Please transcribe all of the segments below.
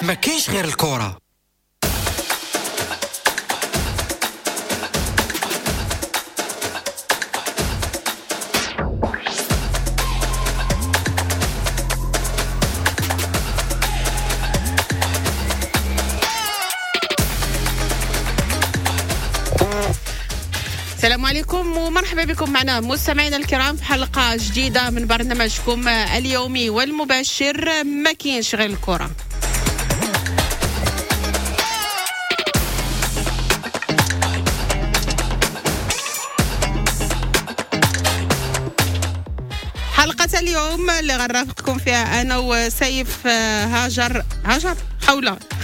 ما كاينش غير الكره. السلام عليكم ومرحبا بكم معنا مستمعينا الكرام في حلقة جديدة من برنامجكم اليومي والمباشر ما كاينش غير الكرة. حلقة اليوم اللي غنرافقكم فيها أنا وسيف هاجر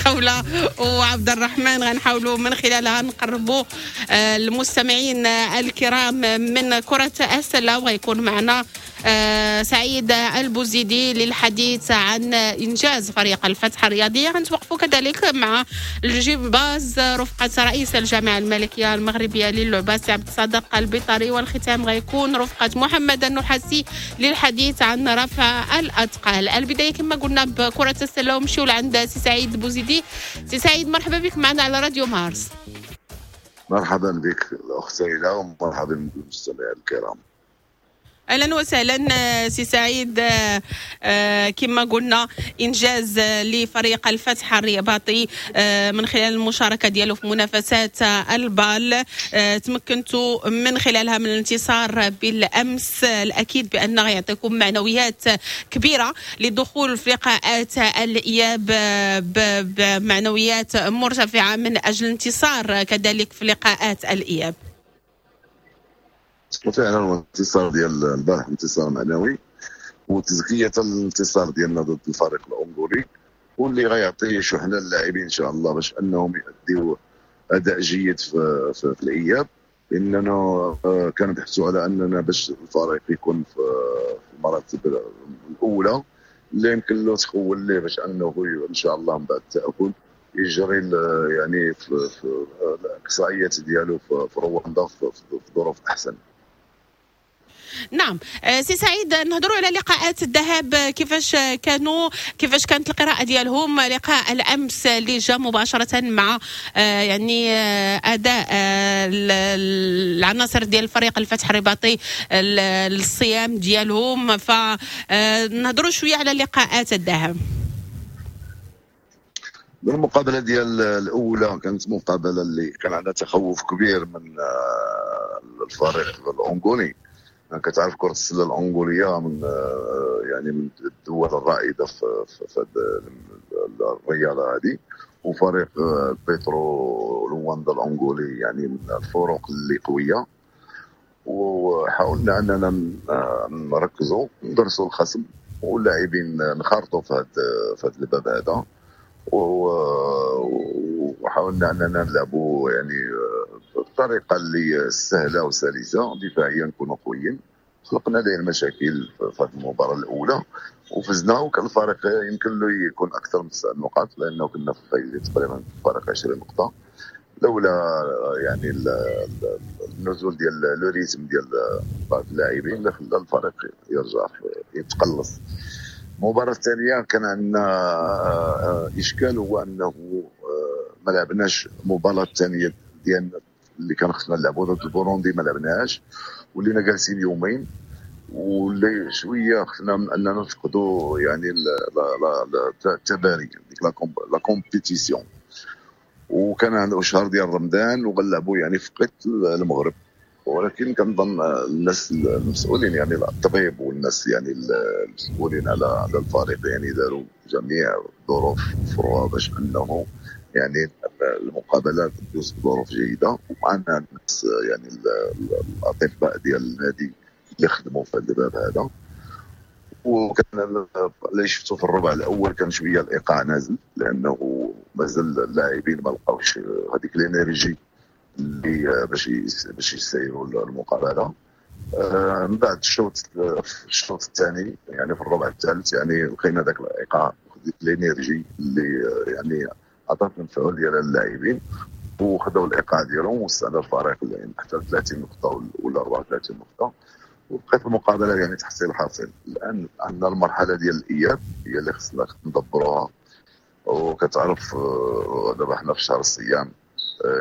خولة وعبد الرحمن، غنحاولوا من خلالها نقربوا المستمعين الكرام من كرة السلة، وغيكون معنا سعيد البوزيدي للحديث عن إنجاز فريق الفتح الرياضي. غنتوقفوا كذلك مع الجيب باز رفقة رئيس الجامعة الملكية المغربية للعبة سي عبد الصادق البيطري، والختام غيكون رفقة محمد النحاسي للحديث عن رفع الأثقال. البداية كما قلنا بكرة السلة، ومشيو لعند سي سعيد البوزيدي. سي سعيد مرحبا بك معنا على راديو مارس. مرحبا بك الأخت ليلى ومرحبا بالمستمعين الكرام. اهلا وسهلا سي سعيد. كما قلنا انجاز لفريق الفتح الرباطي من خلال المشاركة ديالو في منافسات البال، تمكنتوا من خلالها من الانتصار بالامس. الاكيد بان غيعطيكم معنويات كبيرة لدخول في لقاءات الاياب بمعنويات مرتفعة من اجل الانتصار كذلك في لقاءات الاياب. فعلا الانتصار ديال البارح انتصار معنوي وتزكيه الانتصار ديالنا ضد الفريق الانغولي، واللي غيعطي شحنه للاعبين ان شاء الله باش انهم يؤديوا اداء جيد في الاياب، لاننا كنبحثوا على اننا باش الفريق يكون في المراتب الاولى اللي يمكن له تخول ليه باش انه ان شاء الله من بعد التاهل يجري يعني في الاقصائيات ديالو في رواندا في ظروف احسن. نعم سي سعيد، نهضروا على لقاءات الذهاب، كيفاش كانوا، كيفاش كانت القراءة ديالهم؟ لقاء الأمس اللي جاء مباشرة مع يعني أداء العناصر ديال الفريق الفتح الرباطي الصيام ديالهم، فنهضروا شوية على لقاءات الذهاب. المقابلة ديال الأولى كانت مقابلة اللي كان عندها تخوف كبير من الفريق الأنغولي. كتعرف كرة السلة الأنغولية من يعني من الدول الرائدة في الرياضة هذه، وفريق بيترو لواندا الأنغولي يعني من الفرق اللي قوية، وحاولنا أننا نركزوا ندرسوا الخصم واللاعبين نخرطوا في هذا الباب هذا، وحاولنا أننا نلعبوا يعني بطريقة اللي سهلة وسلسه، دفاعيا نكونوا قويين. خلقنا ليه المشاكل في هذه المباراة الاولى وفزنا، وكان الفريق يمكن له يكون اكثر من 9 نقاط لانه كنا فايزين تقريبا فرق 20 نقطة، لولا يعني النزول ديال le rythme ديال بعض اللاعبين اللي خلى الفريق يرجع يتقلص. المباراة الثانية كان عندنا اشكال، هو انه ما لعبناش المباراة الثانية ديالنا اللي كان خصنا نلعبوا ضد البوروندي، ما لعبناهاش، ولينا جالسين يومين، واللي شوية خفنا من اننا نفقدوا يعني التباري ديك la compétition، وكان عنده شهر ديال رمضان وغنلعبوا يعني في قط المغرب. ولكن كنظن الناس المسؤولين يعني الطبيب والناس يعني المسؤولين على الفريق يعني داروا جميع الظروف فروها باش انه يعني المقابلات تدوز بظروف جيدة، ومعنا الناس يعني الاطباء ديال النادي اللي خدموا في هذا الباب هذا. وكان اللي شفتو في الربع الاول كان شوية الايقاع نازل، لانه مازال اللاعبين ما لقاوش هذيك l'énergie اللي باش يسيروا المقابلة. من بعد الشوط الثاني يعني في الربع الثالث يعني لقينا ذاك الايقاع ديك l'énergie اللي يعني عطات المفعول ديال اللاعبين وخذوا الايقاع ديالهم، وصلنا الفريق يعني حتى 30 نقطة ولا 34 نقطة، وبقيت المقابلة يعني تحصيل حاصل. الان عندنا المرحلة ديال الاياب هي اللي خصنا ندبروها. وكتعرف دابا حنا في شهر الصيام،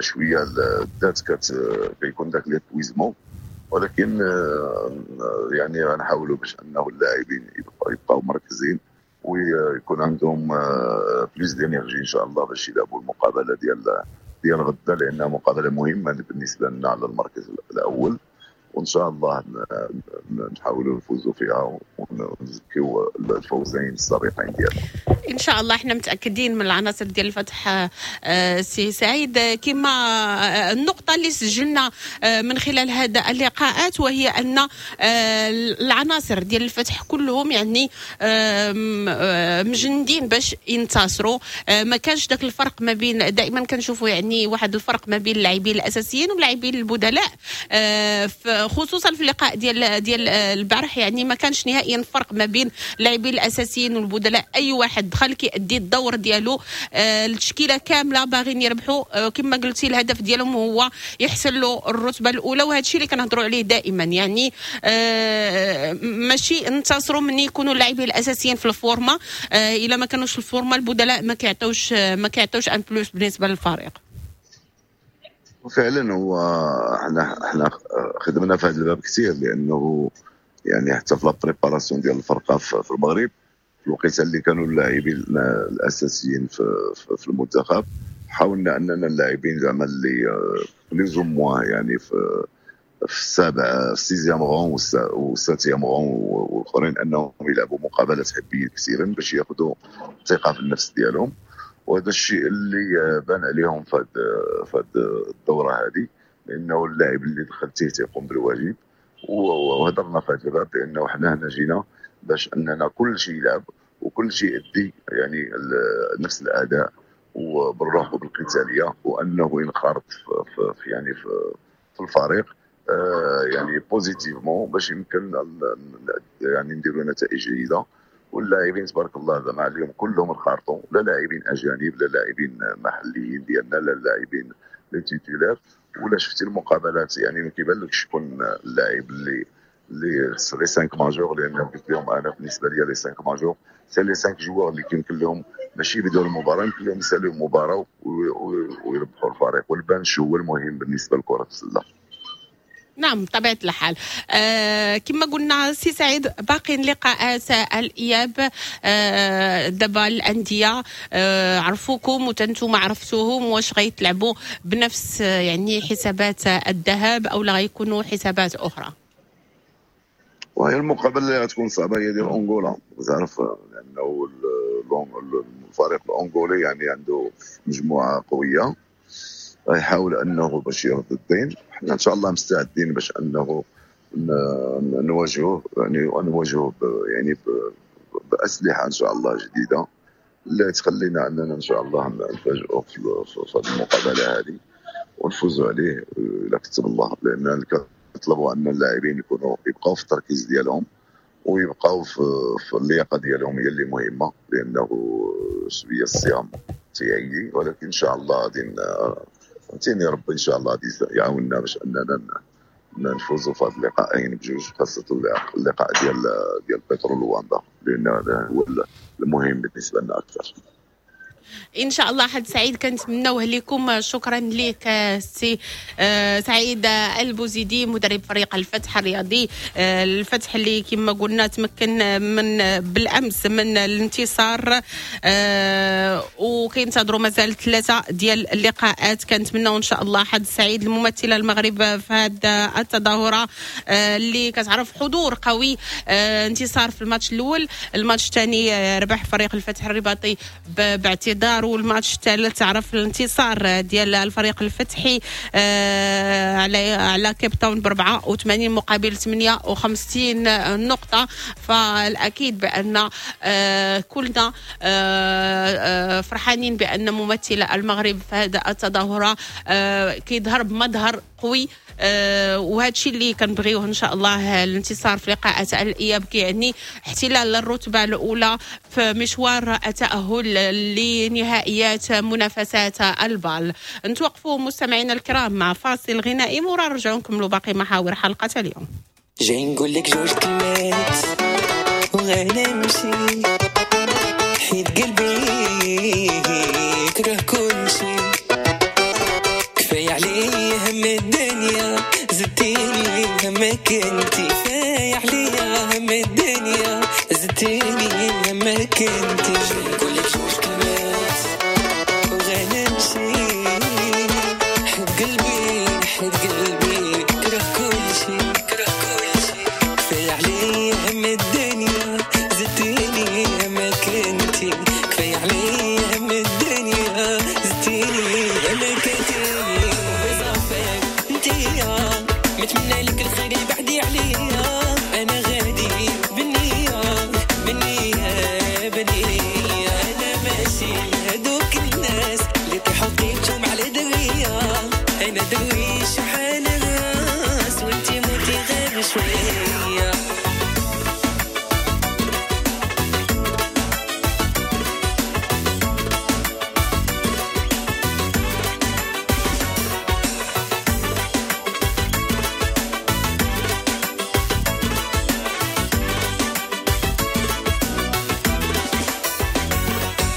شوية الذات كيكون داك l'épuisement، ولكن يعني غنحاولوا باش انه اللاعبين يبقاو مركزين ويكون عندهم plus d'énergie ان شاء الله باش يلعبوا المقابلة ديال غدا، لانها مقابله مهمة بالنسبة لنا على المركز الاول، وان شاء الله نحاولوا نفوزوا فيها ونزكيو الفوزين السابقين ديالنا. ان شاء الله. احنا متاكدين من العناصر ديال الفتح سي سعيد. كما النقطة اللي سجلنا من خلال هذا اللقاءات، وهي ان العناصر ديال الفتح كلهم يعني مجندين باش ينتصروا. ما كانش ذاك الفرق ما بين، دائما كنشوفوا يعني واحد الفرق ما بين اللاعبين الاساسيين واللاعبين البدلاء، خصوصا في اللقاء ديال البارح، يعني ما كانش نهائيا فرق ما بين اللاعبين الاساسيين والبدلاء. اي واحد دخل كيأدي الدور ديالو. التشكيلة كاملة باغيين يربحوا. كما قلتي، الهدف ديالهم هو يحتلوا الرتبة الاولى، وهذا الشيء اللي كنهضروا عليه دائما، يعني ماشي انتصروا من يكونوا اللاعبين الاساسيين في ال forme. الا ما كانوش في ال forme، البدلاء ما كيعطوش un plus بالنسبة للفريق. فعلا، هو احنا خدمنا في هذا الباب كثير، لانه يعني حتى في la préparation ديال الفرقة في المغرب، في الوقيته اللي كانوا اللاعبين الاساسيين في المنتخب، حاولنا اننا اللاعبين زعما اللي plus ou moins يعني في السابع، sixième rang وال septième rang والاخرين، انهم يلعبوا مقابلات حبيه كثيرا باش ياخذوا ثقة في النفس ديالهم. وهذا الشيء اللي بان عليهم في الدورة هذه، لانه اللاعب اللي دخلتيه تيقوم بالواجب. وهضرنا في هذا الباب بانه حنا هنا جينا باش اننا كل شيء يلعب وكل شيء يدي يعني نفس الاداء وبالروح وبالقتاليه، وانه ينخرط في يعني في الفريق يعني positivement باش يمكن يعني نديروا نتائج جيده. واللاعبين تبارك الله زعما اليوم كلهم انخرطوا، لا لاعبين اجانب، لا لاعبين محليين ديالنا، لا لاعبين les titulaires. ولا شفتي المقابلات، يعني ما كيبانلكش شكون اللاعب اللي les 5 majeurs، لان قلت لهم انا بالنسبة لي les 5 majeurs، c'est les 5 joueurs اللي كيمكن لهم ماشي يبداو المباراه، يمكن لهم يسالوا المباراة ويربحوا الفريق، وال bench هو المهم بالنسبة لكرة السله. نعم، بطبيعة الحال. كما قلنا سي سعيد، باقي لقاءات الإياب. دابا الأندية عرفوكم وتنتم عرفتوهم، واش غيتلعبوا بنفس يعني حسابات الذهاب أو لا غيكونوا حسابات أخرى؟ وهي المقابلة اللي غتكون صعبة هي ديال انغولا، تعرف لانه الفريق الانغولي يعني عنده مجموعة قويه، غيحاول انه باش يرد الدين. حنا ان شاء الله مستعدين باش انه نواجهه، يعني ونواجهه يعني باسلحه ان شاء الله جديدة اللي تخلينا اننا ان شاء الله نفاجئوا في هذه المقابلة هذه ونفوزوا عليه الى كتب الله، لان كنطلبوا ان اللاعبين يكونوا يبقاو في التركيز ديالهم ويبقاو في اللياقة ديالهم، هي اللي مهمه، لانه شوية الصيام تيعيي، ولكن ان شاء الله غادي فهمتيني، ربي ان شاء الله غادي يعاوننا باش اننا نفوزوا في هذه اللقاءين بجوج، خاصة اللقاء ديال بترو لواندا، لان هذا هو المهم بالنسبة لنا اكثر. ان شاء الله حظ سعيد كنتمناوه لكم. شكرا لك سي سعيد البوزيدي، مدرب فريق الفتح الرياضي. الفتح اللي كما قلنا تمكن من بالامس من الانتصار، وكينتظروا مازال ثلاثة ديال اللقاءات. كنتمناو ان شاء الله حظ سعيد الممثلة المغرب في هذه التظاهرة اللي كتعرف حضور قوي. انتصار في الماتش الاول، الماتش الثاني ربح فريق الفتح الرباطي باعتذار، والماتش الثالث عرف الانتصار ديال الفريق الفتحي على كيب تاون ب 84 مقابل 58 نقطة. فالأكيد بأن كلنا فرحانين بأن ممثل المغرب في هذا التظاهرة كيظهر بمظهر قوي، وهذا الشيء اللي كنبغيوه ان شاء الله. الانتصار في لقاءات الاياب كيعني احتلال الرتبة الاولى في مشوار التاهل لنهائيات منافسات البال. نتوقفوا مستمعينا الكرام مع فاصل غنائي، مورا نرجعوا نكملوا باقي محاور حلقة اليوم. جاي نقول لك جوج كلمات وغنمشي حيت قلبي قلبي كره كل شي، كفاية عليا هم الدنيا زدتيني همك انتي، كفاية عليا هم الدنيا زدتيني همك انتي. نقولك جوج كلمات وغنمشي، حد قلبي حد قلبي كره كل شي، كره كل شي، كفاية عليا هم الدنيا زدتيني همك انتي، كفاية عليا هم الدنيا زدتيني همك انتي. وصافي انتيا نتمنى لك الخير بعدي عليا، انا غادي بالنية بالنية بالنية، انا ماشي لهذوك الناس اللي طيحوا قيمتهم على درية، انا درويش وحال الراس وانتي موتي غير شوية.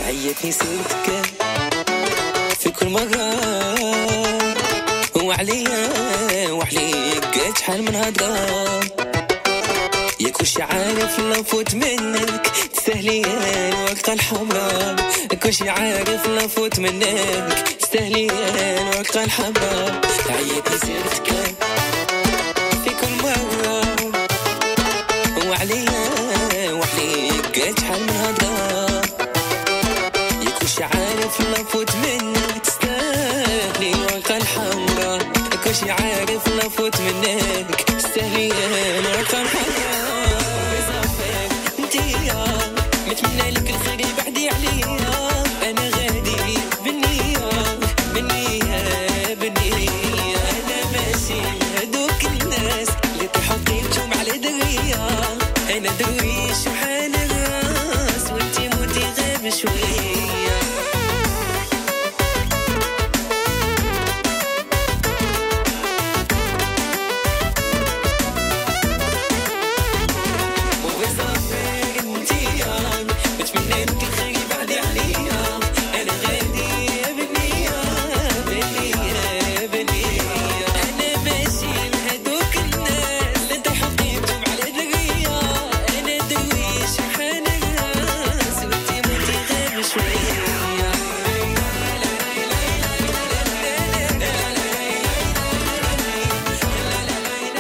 عيتني سيرتك في كل مرة وعليا وعليك شحال من هضرة، يا كلشي عارف لو فوت منك تستاهلي الورقة الحمراء، كلشي عارف لو فوت منك تستاهلي الورقة الحمراء. عيتني سيرتك في كل مرة وعليا وعليك شحال من هضرة، كلشي عارف لو فوت منك تستاهلي الورقة الحمراء، كلشي عارف لو فوت منك تستاهلي الورقة الحمراء. صافي انتيا نتمنى لك الخير بعدي عليا، انا غادي بالنية بالنية بالنية، انا ماشي لهذوك الناس اللي طيحوا قيمتهم على درية، انا درويش وحال الراس وانتي موتي غير بشوية.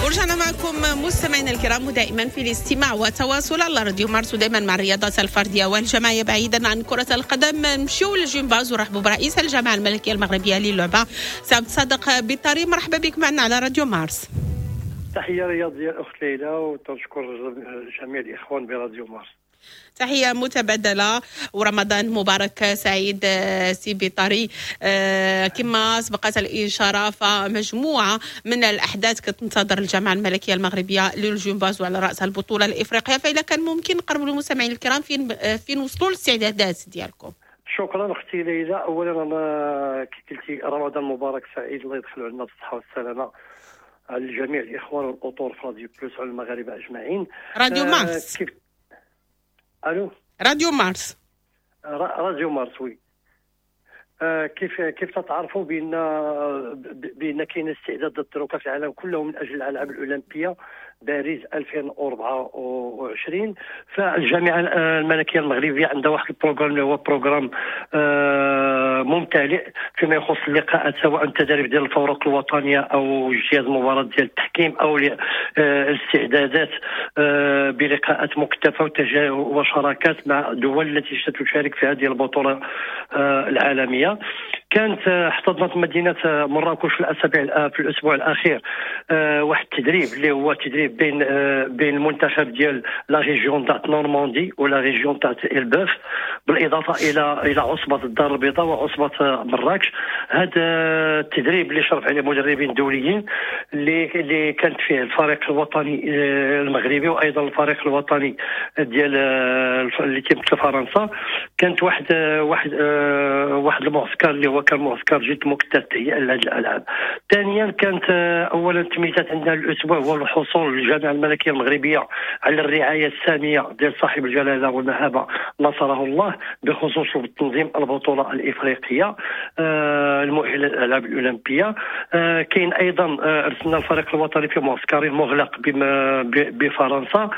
ورجعنا معكم مستمعينا الكرام ودائما في الاستماع وتواصل على راديو مارس، ودائما مع الرياضات الفردية والجماعيه بعيدا عن كره القدم. نمشيو للجمباز ورحبوا برئيس الجامعة الملكية المغربية للعبة سي عبد الصادق بطاري. مرحبا بك معنا على راديو مارس. تحية رياضية الاخت ليلى، وتشكر جميع الاخوان براديو مارس. تحية متبادلة ورمضان مبارك سعيد سي بطاري. كما سبقت الإشارة فمجموعة من الأحداث كتنتظر الجامعة الملكية المغربية للجمباز وعلى رأسها البطولة الإفريقية، فإذا كان ممكن نقربوا للمستمعين الكرام فين وصلوا الاستعدادات ديالكم. شكرا اختي ليلى. اولا انا كي قلتي رمضان مبارك سعيد، الله يدخلوا عندنا بالصحة والسلامة على جميع الاخوان والاطر في راديو بلوس وعلى المغاربة اجمعين. راديو مارس. كيف الو؟ راديو مارس. راديو مارس oui. كيف تتعرفوا بان كاين استعداد للدروكه في العالم كله من اجل الالعاب الاولمبية باريس 2024. فالجامعه الملكية المغربية عندها واحد ال programme اللي هو programme ممتلئ فيما يخص اللقاءات، سواء التدريب ديال الفرق الوطنية او اجتياز مباراة ديال التحكيم او الاستعدادات بلقاءات مكتفه وشراكات مع دول التي ستشارك في هذه البطولة العالمية. كانت احتضنت مدينة مراكش في الاسبوع الاخير واحد التدريب اللي هو تدريب بين المنتخب ديال la région تاع نورماندي و la région تاع البوف، بالاضافة الى عصبه الدار البيضاء وعصبه مراكش. هذا التدريب اللي شرف عليه مدربين دوليين اللي كانت فيه الفريق الوطني المغربي وايضا الفريق الوطني ديال اللي تيمثل فرنسا. كانت واحد المعسكر اللي هو كان معسكر جد مكثف تهيئة لهذه الالعاب. ثانيا كانت اولا التمييزات عندنا الاسبوع هو الحصول للجامعة الملكية المغربية على الرعاية السامية ديال صاحب الجلاله والمهابه نصره الله بخصوص تنظيم البطولة الافريقية المؤهله للالعاب الاولمبية. كاين ايضا ارسلنا الفريق الوطني في معسكر مغلق بفرنسا.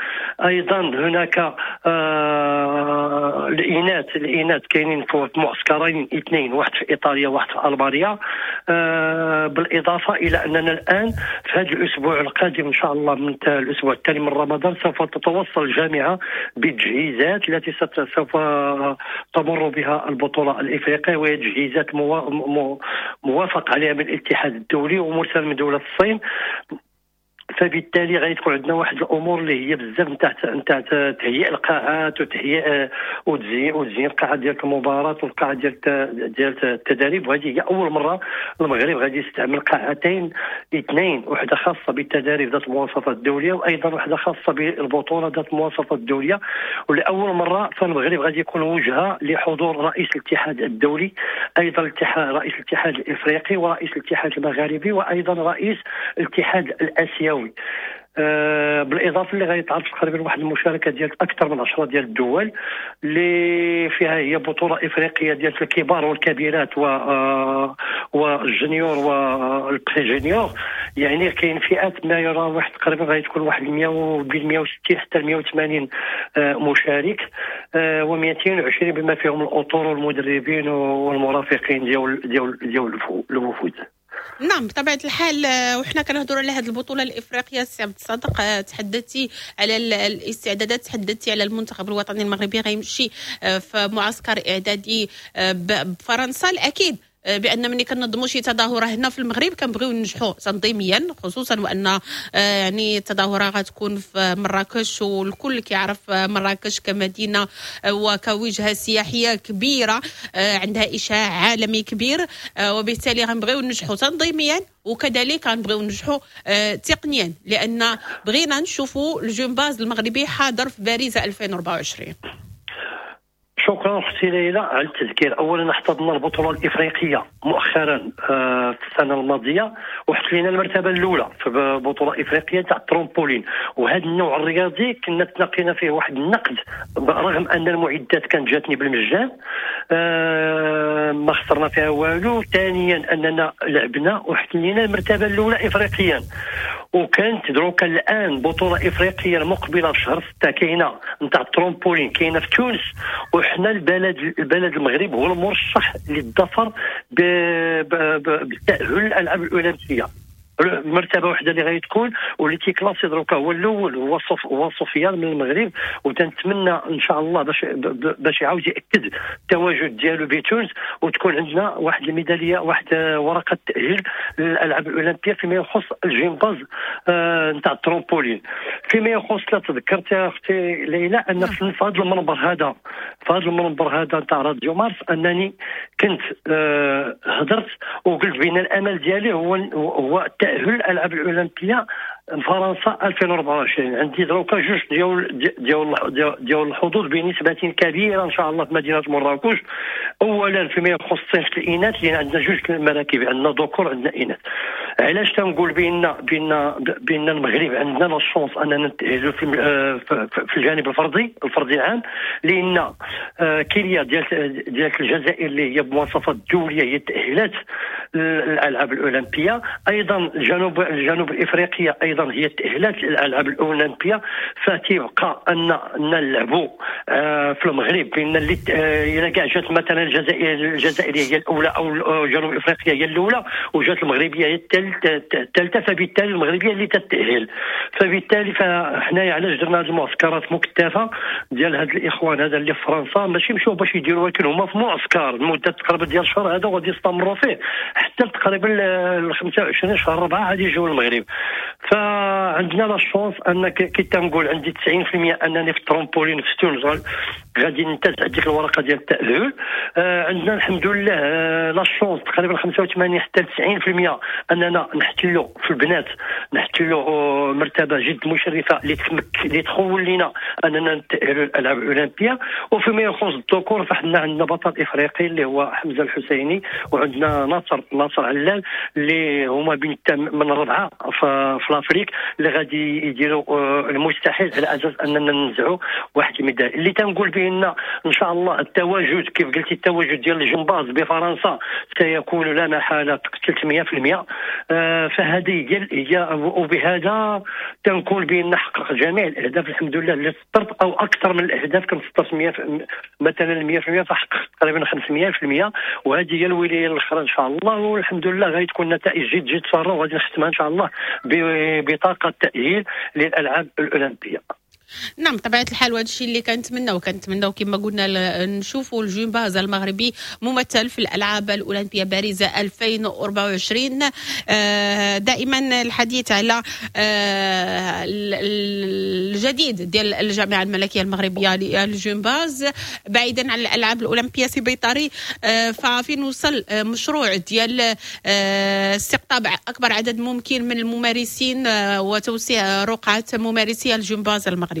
ايضا هناك الاناث كاينين في معسكرين اثنين، واحد في ايطاليا واحد في المانيا. بالاضافة الى اننا الان في هذا الاسبوع القادم ان شاء الله من الاسبوع الثاني من رمضان سوف تتوصل الجامعة بالتجهيزات التي سوف تمر بها البطولة الافريقية، وهي تجهيزات موافق عليها من الاتحاد الدولي ومرسل من دولة الصين. فبالتالي غادي تكون عندنا واحد الامور اللي هي بزاف نتاع تهيئ القاعات وتهيئ وتزيين القاعة ديال المباراة والقاعه ديال التدريب. وهذه هي اول مرة المغرب غادي يستعمل قاعتين اثنين، واحدة خاصة بالتدريب ذات المواصفات الدولية وايضا واحدة خاصة بالبطولة ذات المواصفات الدولية. ولاول مرة فالمغرب غادي يكون وجهه لحضور رئيس الاتحاد الدولي، ايضا رئيس الاتحاد الافريقي ورئيس الاتحاد المغاربي وايضا رئيس الاتحاد الاسيوي. بالاضافة اللي غيتعرض تقريبا واحد المشاركة ديال اكثر من 10 ديال الدول اللي فيها هي بطوله افريقية ديال الكبار والكبيرات وال junior وال pré-junior. يعني كاين فئات ما يرى واحد تقريبا غادي تكون واحد 100 بين 160 حتى 180 مشارك و220 بما فيهم الاطر والمدربين والمرافقين ديال ديال ديال الوفود. نعم بطبيعة الحال. وحنا كنهضروا على هذه البطولة الافريقية سي عبد الصادق، تحدثتي على الاستعدادات، تحدثتي على المنتخب الوطني المغربي غيمشي في معسكر اعدادي بفرنسا. الاكيد بان ملي كنظموا شي تظاهرة هنا في المغرب كنبغيو ننجحوا تنظيميا، خصوصا وان يعني التظاهرة غتكون في مراكش والكل كيعرف مراكش كمدينه وكوجهه سياحية كبيرة عندها اشعاع عالمي كبير، وبالتالي غنبغيو ننجحوا تنظيميا وكذلك غنبغيو ننجحوا تقنيا، لان بغينا نشوفوا الجمباز المغربي حاضر في باريس 2024. شكرا اختي ليلى على التذكير. اولا احتضنا البطولة الافريقية مؤخرا في السنة الماضية وحتلينا المرتبة الاولى في بطوله افريقية تاع الترامبولين. وهذا النوع الرياضي كنا تلاقينا فيه واحد النقد رغم ان المعدات كانت جاتني بالمجان، ما خسرنا فيها والو. ثانيا اننا لعبنا وحتلينا المرتبة الاولى افريقيا، وكانت دروكا الان بطوله افريقية المقبلة في شهر 6 كاينه نتاع الترامبولين كاينه في تونس، وحنا البلد المغرب هو المرشح للظفر بالتاهل للالعاب الاولمبية. مرتبه واحدة اللي غادي تكون واللي تي classé دروكا هو الاول هو سفيان من المغرب، وتنتمنى ان شاء الله باش يعاود ياكد التواجد ديالو بتونس وتكون عندنا واحد الميداليه، واحد ورقة تاهيل للالعاب الاولمبية فيما يخص الجمباز نتاع الترامبولين. فيما يخص لا تذكرت يا اختي ليلى ان في هذا المنبر هذا، في هذا المنبر هذا نتاع راديو مارس، انني كنت هضرت وقلت بان الامل ديالي هو تأهل الألعاب الأولمبية فرنسا 2024. عندي دروكا جوج ديال الحظوظ بنسبة كبيرة إن شاء الله في مدينة مراكش. أولا فيما يخص صنف الإناث، لأن عندنا جوج المراكب، عندنا ذكور عندنا إناث. علاش تنقول بأن المغرب عندنا la chance أننا نتأهلوا في الجانب الفردي العام، لأن كيليا ديال الجزائر اللي هي بمواصفات دولية هي تأهلات الألعاب الأولمبية، أيضا الجنوب الإفريقية أيضا هي تأهلات الألعاب الأولمبية. فتيبقى أن نلعبوا في المغرب بأن اللي إلا كاع جات مثلا الجزائرية هي الأولى أو جنوب إفريقيا هي الأولى وجات المغربية هي الثالثة، فبالتالي المغربية اللي تتأهل. فبالتالي فحنايا علاش درنا هذه المعسكرات مكثفة ديال هاد الإخوان هذا اللي في فرنسا، ماشي مشاو باش يديروا، ولكن هما في معسكر لمدة تقريبا ديال شهر هذا وغادي يستمروا فيه حتى تقريبا 25 شهر 4 غادي يجيو المغرب. فعندنا la chance ان كي تنقول عندي 90% انني في الترامبولين في تونس غادي ننتزع ديك الورقة ديال التاهل. عندنا الحمد لله la chance تقريبا 85 حتى 90% اننا نحتلوا في البنات، نحتلوا مرتبه جد مشرفة اللي تخول لنا اننا نتاهلوا للالعاب الاولمبية. وفيما يخص الذكور فحنا عندنا بطل افريقي اللي هو حمزة الحسيني، وعندنا ناصر علال اللي هما بين من الربعه في l'Afrique اللي غادي يديروا المستحيل على اساس اننا ننزعوا واحد الميداليه. اللي تنقول بان ان شاء الله التواجد كيف قلتي، التواجد ديال الجمباز بفرنسا سيكون لا محالة 300%. فهذه هي، وبهذا تنقول بان حقق جميع الاهداف الحمد لله اللي سطرت، او اكثر من الاهداف. كنسطرت 100 مثلا 100% فحققت تقريبا 500%، وهذه هي الولاية الاخرى ان شاء الله. والحمد لله غادي تكون نتائج جد جد ساره، وغادي نختمها ان شاء الله ببطاقه تاهيل للالعاب الاولمبية. نعم طبيعة الحال، وهذا الشيء اللي كنتمناو كما قلنا نشوفوا الجمباز المغربي ممثل في الألعاب الأولمبية باريس 2024. دائما الحديث على الجديد ديال الجامعة الملكية المغربية للجمباز بعيدا عن الألعاب الأولمبية سي بيطاري، ففين وصل مشروع ديال استقطاب أكبر عدد ممكن من الممارسين وتوسيع رقعة ممارسي الجمباز المغربي؟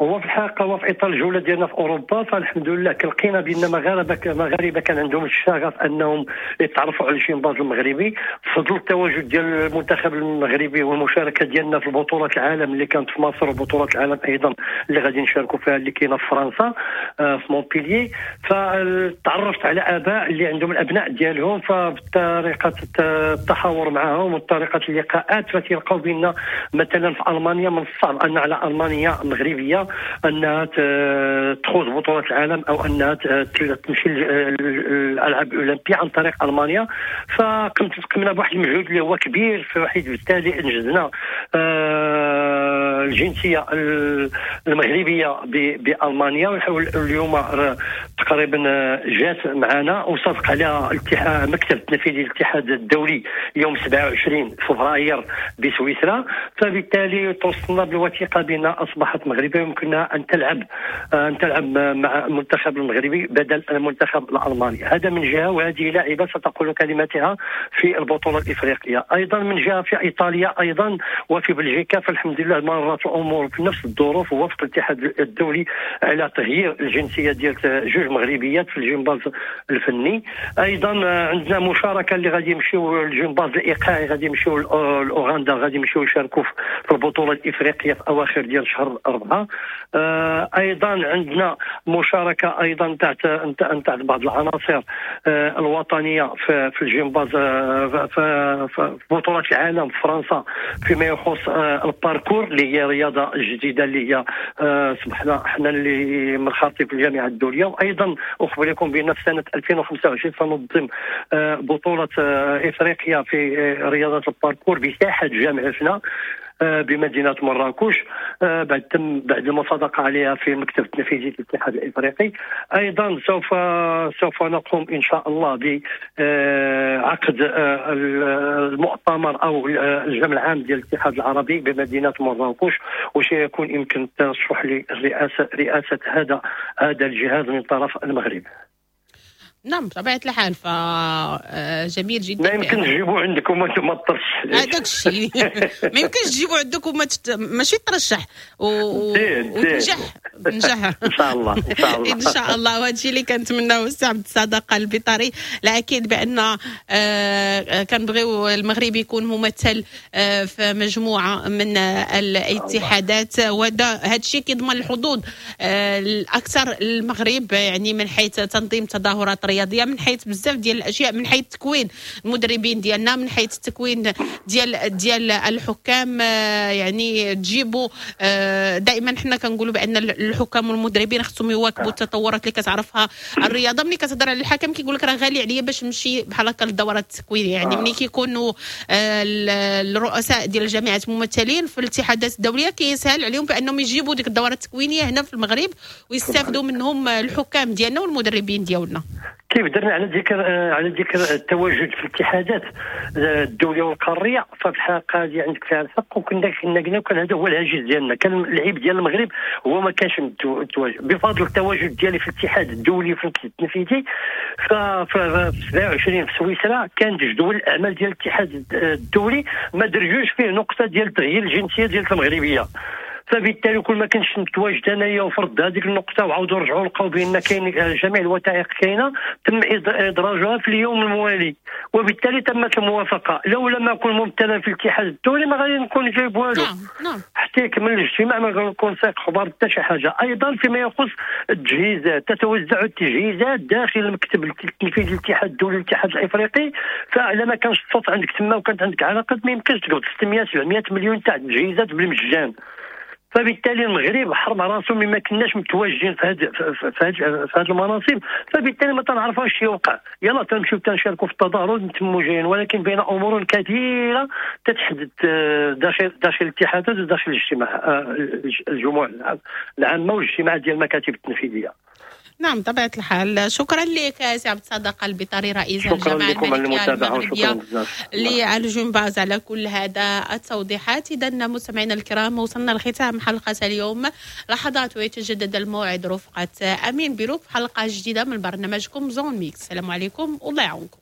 هو في الحقيقة هو في اطار الجولة ديالنا في اوروبا، فالحمد لله كلقينا بان مغاربة كان عندهم الشغف انهم يتعرفوا على الجمباز المغربي بفضل التواجد ديال المنتخب المغربي والمشاركة ديالنا في بطولات العالم اللي كانت في مصر، وبطولات العالم ايضا اللي غادي نشاركوا فيها اللي كاينه في فرنسا في مونبلييه. فتعرفت على اباء اللي عندهم الابناء ديالهم، فبطريقه التحاور معهم وطريقه اللقاءات فتلقاو بان مثلا في المانيا من الصعب ان على المانيا مغربية انها تخوض بطولات العالم او انها تمشي للالعاب الاولمبية عن طريق المانيا. فقمنا بواحد المجهود اللي هو كبير، في بالتالي انجزنا الجنسية المغربية بالمانيا، واليوم تقريبا جات معنا وصادق عليها مكتب التنفيذي للاتحاد الدولي يوم 27 فبراير بسويسرا. فبالتالي توصلنا بالوثيقه بان اصبحت مغربية يمكنها ان تلعب مع المنتخب المغربي بدل المنتخب الالماني. هذا من جهة، وهذه لاعبه ستقول كلمتها في البطولة الافريقية. ايضا من جهة في ايطاليا ايضا وفي بلجيكا، فالحمد لله مرت الامور في نفس الظروف، ووافق الاتحاد الدولي على تغيير الجنسية ديال جوج مغربيات في الجمباز الفني. ايضا عندنا مشاركة اللي غادي يمشيو الجمباز الايقاعي، غادي يمشيو لاوغندا، غادي يمشيو يشاركوا في البطولة الافريقية في اواخر ديال شهر 4. ايضا عندنا مشاركة ايضا تحت بعض العناصر الوطنية في الجمباز في بطولات العالم في فرنسا فيما يخص الباركور اللي هي رياضة جديدة اللي هي صبحنا حنا اللي منخرطين في الجامعة الدولية. وايضا اخبركم بان في سنة 2025 سننظم بطوله افريقيا في رياضة الباركور بساحة جامعتنا بمدينة مراكش بعد المصادقة عليها في المكتب التنفيذي للاتحاد الافريقي. ايضا سوف نقوم ان شاء الله بعقد المؤتمر او الجمع العام ديال الاتحاد العربي بمدينة مراكش، وسيكون يمكن الترشح لرئاسة هذا الجهاز من طرف المغرب. نعم بطبيعة الحال، فجميل جدا. ما يمكن تجيبوا عندكم وانتم ما ترشح هذاك الشيء، ما يمكنش تجيبوا عندكم ماشي ترشح وتنجح تنجح ان شاء الله ان شاء الله ان شاء الله. وهذا الشيء اللي كنتمناو السي عبد الصادق البيطاري. لا اكيد بان كنبغيو المغرب يكون ممثل في مجموعة من الاتحادات، وهذا الشيء كيضمن الحظوظ الاكثر للمغرب، يعني من حيث تنظيم تظاهرات رياضية، من حيث بزاف ديال الاشياء، من حيث تكوين المدربين ديالنا، من حيث التكوين ديال الحكام. يعني تجيبوا دائما حنا كنقولوا بان الحكام والمدربين خصهم يواكبوا التطورات اللي كتعرفها الرياضة. ملي كتهضر على الحكم كيقول لك راه غالي عليا باش نمشي بحال هكا للدورات التكوينيه، يعني ملي كيكونوا الرؤساء ديال الجامعات ممثلين في الاتحادات الدولية كيسهل عليهم بانهم يجيبوا ديك الدورات التكوينيه هنا في المغرب ويستافدوا منهم الحكام ديالنا والمدربين ديالنا. كيف درنا على ذكر التواجد في الاتحادات الدولية والقاريه، ففي الحقيقة هذه عندك فيها الحق، وكنا قلنا وكان هذا هو الهاجس ديالنا. كان العيب ديال المغرب هو ما كانش متواجد. بفضل التواجد ديالي في الاتحاد الدولي في التنفيذي، في 27 في سويسرا كانت جدول الاعمال ديال الاتحاد الدولي ما درجوش فيه نقطة ديال تغيير الجنسية ديال المغربيه. فبالتالي كل ما كنتش متواجد انايا وفرض هذيك النقطة وعاودوا رجعوا لقاو بان كاين جميع الوثائق كاينه، تم ادراجها في اليوم الموالي وبالتالي تمت الموافقه. لو لم اكن ممثلا في الاتحاد الدولي ما غادي نكون جايب والو. نعم نعم. حتى يكمل الاجتماع ما غنكون سايق خبار حتى شي حاجه. ايضا فيما يخص التجهيزات، تتوزع التجهيزات داخل المكتب التنفيذي للاتحاد الدولي للاتحاد الافريقي، فإلا ما كانش الصوت عندك تما وكانت عندك علاقات ما يمكنش تقبض 600 700 مليون تاع التجهيزات بالمجان. فبالتالي المغرب حرم راسو مما كناش متواجدين في هاد المناصب، فبالتالي ما تنعرفوش يوقع. يلا تنمشيو تنشاركوا في التظاهر نتموا جايين، ولكن بين امور كثيرة تتحدث داخل الاتحادات وداخل الاجتماع الجموع العامة والاجتماعات ديال المكاتب التنفيذيه. نعم، طبيعة الحال. شكرا لك سي عبد الصادق البطاري، رئيس الجامعة الملكية المغربية للجمباز، على كل هذا التوضيحات. إذا مستمعينا الكرام، وصلنا لختام حلقة اليوم. لحظات ويتجدد الموعد رفقة أمين بيروك في حلقة جديدة من برنامجكم zone mixte. السلام عليكم والله يعاونكم.